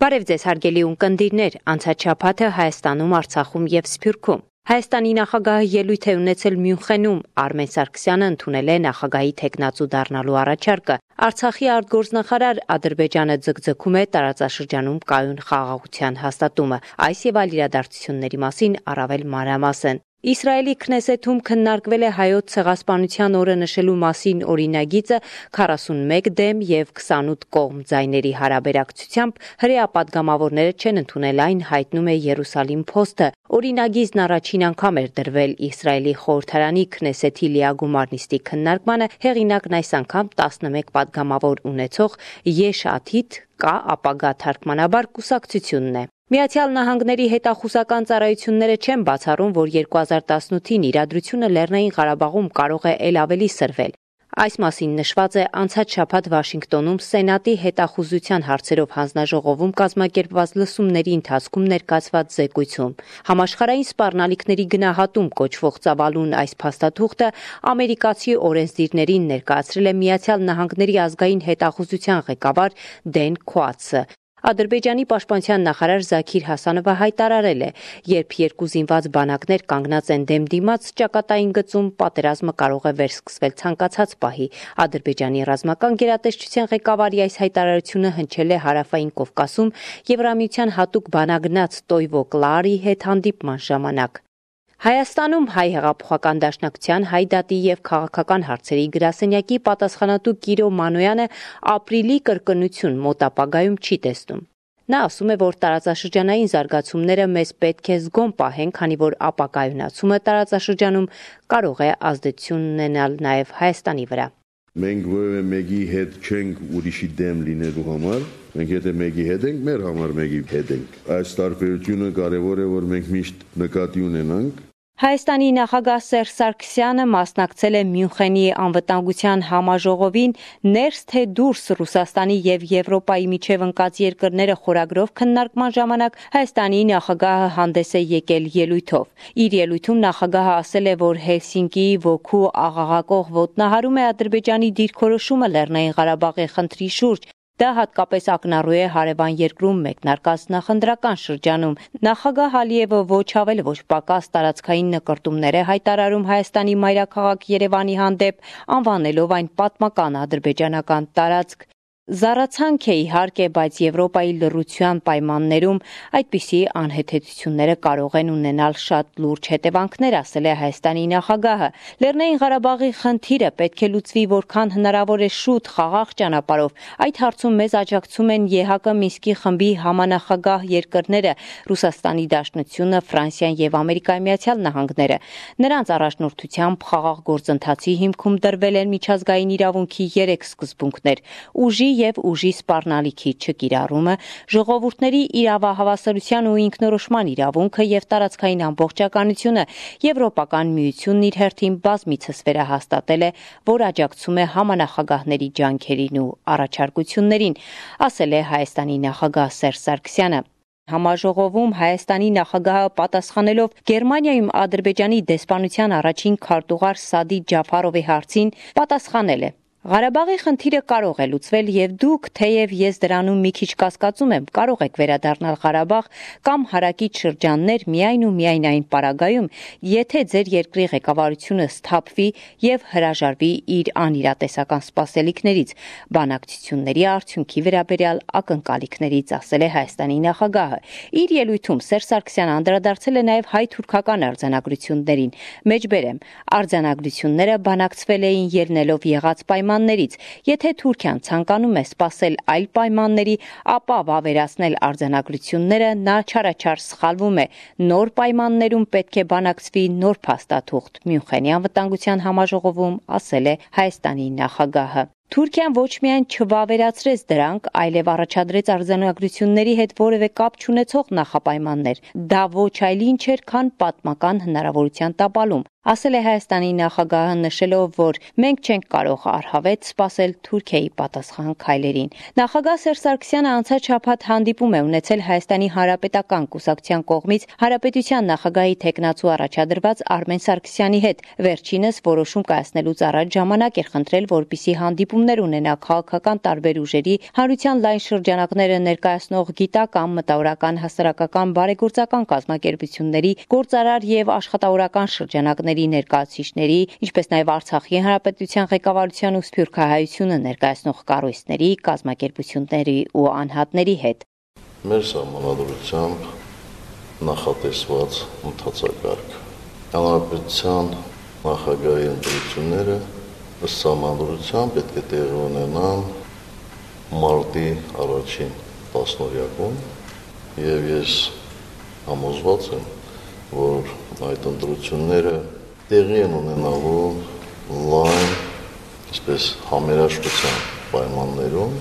Բարև ձեզ հարգելի ունկնդիրներ, անցած շաբաթը Հայաստանում, Արցախում եւ Սփյուռքում։ Հայաստանի նախագահը ելույթ է ունեցել Մյունխենում, Արմեն Սարգսյանը ընդունել է նախագահի թեկնածու դառնալու առաջարկը։ Արցախի արտգործնախարար Ադրբեջանը ձգձգում է տարածաշրջանում կայուն խաղաղության հաստատումը։ Այս եւ այլ իրադարձությունների մասին առավել մանրամասն։ Իսրայելի Քնեսեթում քննարկվել է հայոց ցեղասպանության օրը նշելու մասին օրինագիծը 41 դեմ եւ 28 կողմ ձայների հարաբերակցությամբ հրեա պատգամավորները չեն ընդունել այն, հայտնում է Երուսալիմ Փոստը։ Օրինագիծն առաջին անգամ էր դրվել Իսրայելի խորհրդարանի Քնեսեթի լիագումար նիստի քննարկմանը, հեղինակն այս անգամ 11 պատգամավոր ունեցող Եշ Աթիդ կա ապագա թարգմանաբար կուսակցությունն է։ Միացյալ Նահանգների հետախուզական ծառայությունները չեն բացառում, որ 2018-ին իրադրությունը Լեռնային Ղարաբաղում կարող է ել ավելի սրվել։ Այս մասին նշված է անցած շաբաթ Վաշինգտոնում Սենատի հետախուզության հարցերով հանձնաժողովում կազմակերպված լսումների ընթացքում ներկայացված զեկույցում։ Համաշխարհային սպառնալիքների գնահատում կոչվող ծավալուն այս փաստաթուղթը ամերիկացի օրենսդիրներին ներկայացրել է Միացյալ Նահանգների ազգային հետախուզության ղեկավար Դեն Քուաթսը։ Ադրբեջանի պաշտպանության նախարար Զաքիր Հասանովը հայտարարել է, երբ երկու զինված բանակներ կանգնած են դեմ դիմաց ճակատային գծում, պատերազմը կարող է վերսկսվել ցանկացած պահի։ Ադրբեջանի ռազմական գերատեսչության ղեկավարի այս հայտարարությունը հնչել է Հարավային Կովկասում Եվրամիության հատուկ բանագնաց Տոյվո Կլարի հետ հանդիպման ժամանակ։ Հայաստանում Հայ հեղափոխական դաշնակցության Հայ դատի եւ քաղաքական հարցերի գրասենյակի պատասխանատու Կիրո Մանոյանը ապրիլի կրկնություն մոտ ապագայում չի տեսնում։ Նա ասում է, որ տարածաշրջանային զարգացումները մեզ պետք է զգոն պահեն, քանի որ ապակայունացումը տարածաշրջանում կարող է ազդեցություն ունենալ նաեւ Հայաստանի վրա։ Մենք որևէ մեկի հետ չենք ուրիշի դեմ լինելու համար, մենք եթե մեկի հետ ենք, մեր համար մեկի հետ ենք։ Այս տարբերությունը կարևոր է, որ մենք միշտ նկատի ունենանք։ Հայաստանի նախագահ Սերժ Սարգսյանը մասնակցել է Մյունխենի անվտանգության համաժողովին «Ներս թե դուրս Ռուսաստանի եւ Եվրոպայի միջև ընկած երկրները» խորագրով քննարկման ժամանակ Հայաստանի նախագահը հանդես է եկել ելույթով։ Իր ելույթում նախագահը ասել է, որ Հելսինկիի ոգու աղաղակող ոտնահարում է Ադրբեջանի դիրքորոշումը Լեռնային Ղարաբաղի խնդրի շուրջ։ Դա հատկապես ակնառու է հարևան երկրում մեկնարկած նախընտրական շրջանում։ Նախագահ Ալիևը ոչ ավել ոչ պակաս տարածքային նկրտումներ է հայտարարում Հայաստանի մայրաքաղաք Երևանի հանդեպ, անվանելով այն պատմական ադրբեջանական տարածք։ Զառացանք է իհարկե, բայց Եվրոպայի լռության պայմաններում այդպիսի անհեթեթությունները կարող են ունենալ շատ լուրջ հետևանքներ, ասել է Հայաստանի նախագահը։ Լեռնային Ղարաբաղի խնդիրը պետք է լուծվի որքան հնարավոր է շուտ, խաղաղ ճանապարհով։ Այդ հարցում մեզ աջակցում են ԵՀԿ Մինսկի խմբի համանախագահ երկրները՝ Ռուսաստանի Դաշնությունը, Ֆրանսիան եւ Ամերիկայի Միացյալ Նահանգները։ Նրանց առաջնորդությամբ խաղաղ գործընթացի հիմքում դրվել են միջազգային իրավունքի 3 սկզբունքներ՝ ուժի եւ ուժի սպառնալիքի չկիրառումը, ժողովուրդների իրավահավասարության ու ինքնորոշման իրավունքը եւ տարածքային ամբողջականությունը։ Եվրոպական միությունն իր հերթին բազմիցս վերահաստատել է, որ աջակցում է համանախագահների ջանքերին ու առաջարկություններին, ասել է Հայաստանի նախագահ Սերժ Սարգսյանը։ Համաժողովում Հայաստանի նախագահը պատասխանելով Գերմանիայում Ադրբեջանի դեսպանության առաջին քարտուղար Սադի Ջաֆարովի հարցին պատասխանել է. Ղարաբաղի խնդիրը կարող է լուծվել եւ դուք, թեև ես դրանում մի քիչ կասկածում եմ, կարող եք վերադառնալ Ղարաբաղ կամ հարակից շրջաններ միայն ու միայն այն պարագայում, եթե ձեր երկրի ղեկավարությունը սթափվի եւ հրաժարվի իր անիրատեսական սպասելիքներից, բանակցությունների արդյունքի վերաբերյալ ակնկալիքներից, ասել է Հայաստանի նախագահը։ Իր ելույթում Սերժ Սարգսյանը անդրադարձել է նաեւ հայ-թուրքական արձանագրություններին։ Մեջբերեմ, արձանագրությունները բանակցվել էին ելնելով եղած պայմաններից։ Եթե Թուրքիան ցանկանում է սպասել այլ պայմանների, ապա վավերացնել արձանագրությունները նա չարաչար սխալվում է։ Նոր պայմաններում պետք է բանակցվի նոր փաստաթուղթ, Մյունխենի անվտանգության համաժողովում ասել է Հայաստանի նախագահը։ Թուրքիան ոչ միայն չվավերացրեց դրանք, այլև առաջադրեց արձանագրությունների հետ որևէ կապ չունեցող նախապայմաններ։ Դա ոչ այլ ինչ էր, քան պատմական հնարավորության տապալում, ասել է Հայաստանի նախագահը, նշելով, որ մենք չենք կարող առհավետ սպասել Թուրքիայի պատասխան քայլերին։ Նախագահ Սերժ Սարգսյանը անցած շաբաթ հանդիպում է ունեցել Հայաստանի Հանրապետական կուսակցության կողմից Հանրապետության նախագահի թեկնածու առաջադրված Արմեն Սարգսյանի հետ։ Վերջինս որոշում կայացնելուց առաջ ժամանակ էր խնդրել, որպեսզի հանդիպում հանդիպումներ ունենա քաղաքական տարբեր ուժերի, հանրության լայն շրջանակները ներկայացնող գիտական, մտավորական, հասարակական, բարեգործական կազմակերպությունների, գործարար եւ աշխատավորական շրջանակների ներկայացուցիչների, ինչպես նաեւ Արցախի հանրապետության ղեկավարության ու սփյուռքահայությունը ներկայացնող կառույցների, կազմակերպությունների ու անհատների հետ։ Մեր սահմանադրությամբ նախատեսված ընթացակարգ։ Հանրապետության նախագահի ընտրությունները ըստ սահմանադրության պետք է տեղի ունենան մարտի առաջին տասնօրյակում եւ ես համոզված եմ, որ այդ ընտրությունները տեղի են ունենալու լայն, այսպես համերաշխության պայմաններում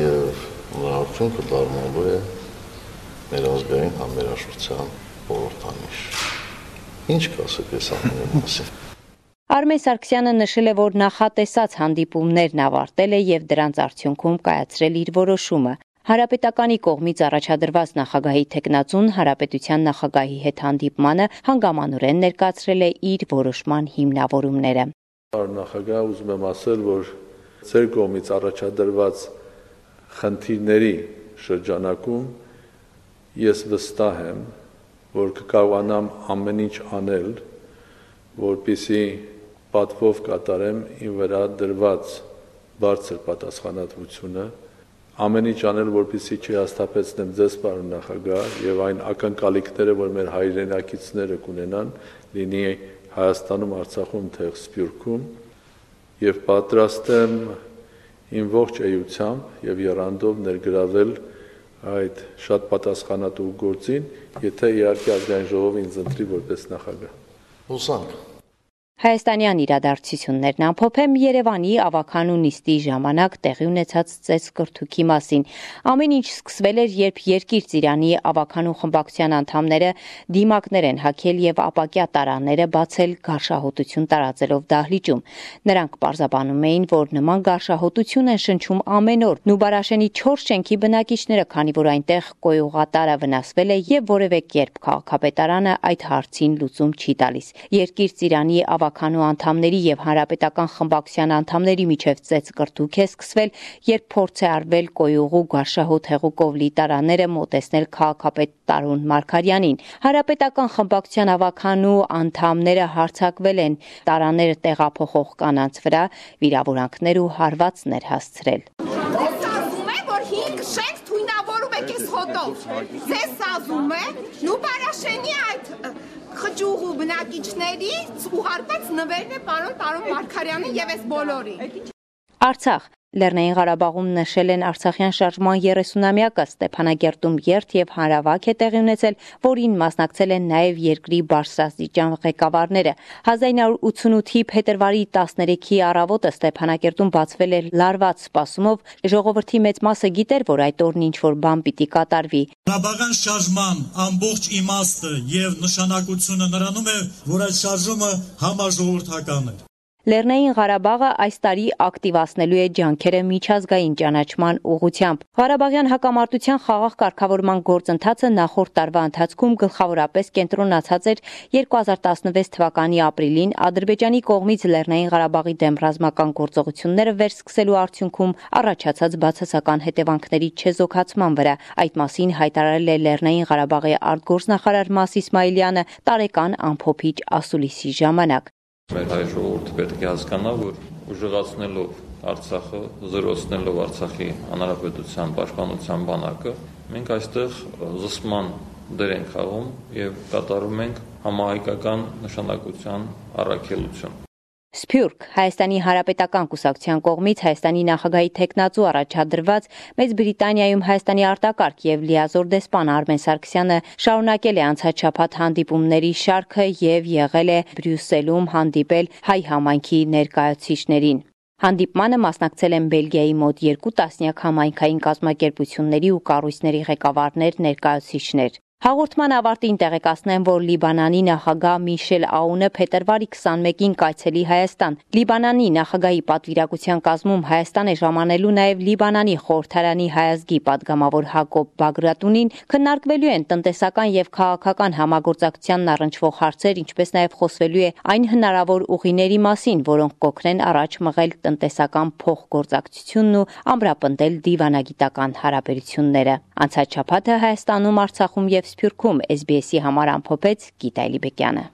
եւ նրա արդյունքը դառնալու է մեր ազգային համերաշխության խորհրդանիշ։ Ինչ կասեք այս ամենի մասին։ Արմեն Սարգսյանը նշել է, որ նախատեսած հանդիպումներն ավարտել է եւ դրանց արդյունքում կայացրել իր որոշումը։ Հանրապետականի կողմից առաջադրված նախագահի թեկնածուն հանրապետության նախագահի հետ հանդիպմանը հանգամանորեն ներկայացրել է իր որոշման հիմնավորումները։ Նախագահ, ուզում եմ ասել, որ ձեր կողմից առաջադրված խնդիրների շրջանակում ես վստահ եմ, որ կկարողանամ ամեն ինչ անել, որպեսզի պատվով կատարեմ իմ վրա դրված բարձր պատասխանատվությունը, ամեն ինչ անել, որպեսզի չհիասթափեցնեմ ձեզ, պարոն նախագահ, եւ այն ակնկալիքները, որ մեր հայրենակիցները կունենան, լինի Հայաստանում, Արցախում, թե Սփյուռքում, եւ պատրաստ եմ իմ ողջ էությամբ եւ եռանդով ներգրավել այդ շատ պատասխանատու գործին, եթե իհարկե ազգային ժողովը ինձ ընտրի որպես նախագահ։ Հուսանք։ Հայաստանյան իրադարձություններն ամփոփեմ Երևանի ավականու նիստի ժամանակ տեղի ունեցած ծեծկռթուքի մասին։ Ամեն ինչ սկսվել էր, երբ Երկիր-Ծիրանի ավականու խմբակցության անդամները դիմակներ են հագել եւ ապակյա տարաները բացել գարշահոտություն տարածելով դահլիճում։ Նրանք պարզաբանում էին, որ նման գարշահոտություն են շնչում ամեն օր։ Նուբարաշենի 4 շենքի բնակիչները, քանի որ այնտեղ կոյուղատարը վնասվել է եւ որևէ կերպ քաղաքապետարանը այդ հարցին լուծում չի տալիս։ Երկիր-Ծիրանի ավականու անդամների եւ հանրապետական խմբակցության անդամների միջև ծեծկռթուք է սկսվել, երբ փորձ է արվել կոյուղու գարշահոտ հեղուկով լի տարաները մոտեցնել քաղաքապետ Տարոն Մարգարյանին։ Հանրապետական խմբակցության ավականու անդամները հարձակվել են տարաները տեղափոխող կանանց վրա, վիրավորանքներ ու հարվածներ հասցրել։ Ձեզ ասում է Նուբարաշենի այդ խճուղու բնակիչներից ուղարկված նվերն է պարոն Մարգարյանի եւ այս բոլորի։ Արցախ Լեռնային Ղարաբաղում նշել են Արցախյան շարժման 30-ամյակը, Ստեփանագերտում երթ եւ հանրավակ է տեղի ունեցել, որին մասնակցել են նաեւ երկրի բարձրաստիճան ղեկավարները։ 1988-ի փետրվարի 13-ի առավոտը Ստեփանագերտում բացվել էր լարված սպասումով, ժողովրդի մեծ մասը գիտեր, որ այդ օրն ինչ-որ բան պիտի կատարվի։ Ղարաբաղյան շարժման ամբողջ իմաստը եւ նշանակությունը նրանում է, որ այդ շարժումը համաժողովրդական է։ Լեռնային Ղարաբաղը այս տարի ակտիվացնելու է ջանքերը միջազգային ճանաչման ուղղությամբ։ Ղարաբաղյան հակամարտության խաղաղ կարգավորման գործընթացը նախորդ տարվա ընթացքում գլխավորապես կենտրոնացած էր 2016 թվականի ապրիլին Ադրբեջանի կողմից Լեռնային Ղարաբաղի դեմ ռազմական գործողությունները վերսկսելու արդյունքում առաջացած բացասական հետևանքների չեզոքացման վրա։ Այդ մասին հայտարարել է Լեռնային Ղարաբաղի արտգործնախարար Մաս Իսմայիլյանը տարեկան ամփոփիչ ասուլիսի ժամանակ։ Մեր հայ ժողովուրդը պետք է հասկանա, որ ուժեղացնելով Արցախը, զրոցնելով Արցախի հանրապետության պաշտպանության բանակը, մենք այստեղ զսպման դեր ենք խաղում եւ կատարում ենք համահայկական նշանակության առաքելություն։ Սփյուռք Հայաստանի Հանրապետական կուսակցության կողմից Հայաստանի նախագահի թեկնածու առաջադրված Մեծ Բրիտանիայում Հայաստանի արտակարգ եւ լիազոր դեսպան Արմեն Սարգսյանը շարունակել է անցած շաբաթ հանդիպումների շարքը եւ եղել է Բրյուսելում հանդիպել հայ համայնքի ներկայացուցիչներին։ Հանդիպմանը մասնակցել են Բելգիայի մոտ 2 տասնյակ համայնքային կազմակերպությունների ու կառույցների ղեկավարներ, ներկայացուցիչներ։ Հաղորդման ավարտին տեղեկացնեմ, որ Լիբանանի նախագահ Միշել Աունը փետրվարի 21-ին կայցելի Հայաստան։ Լիբանանի նախագահի պատվիրակության կազմում Հայաստան է ժամանելու նաև Լիբանանի խորհրդարանի հայազգի падգամավոր Հակոբ Բագրատունին, քննարկվելու են տնտեսական եւ քաղաքական համագործակցությանն առնչվող հարցեր, ինչպես նաև խոսվելու է այն հնարավոր ուղիների մասին, որոնք կօգնեն առաջ մղել տնտեսական փոխգործակցությունն ու ամրապնդել դիվանագիտական հարաբերությունները։ Անցած շաբաթը Հայաստանում, Արցախում եւ Սփյուռքում SBS-ի համար ամփոփեց Գիտա Էլիբեկյանը։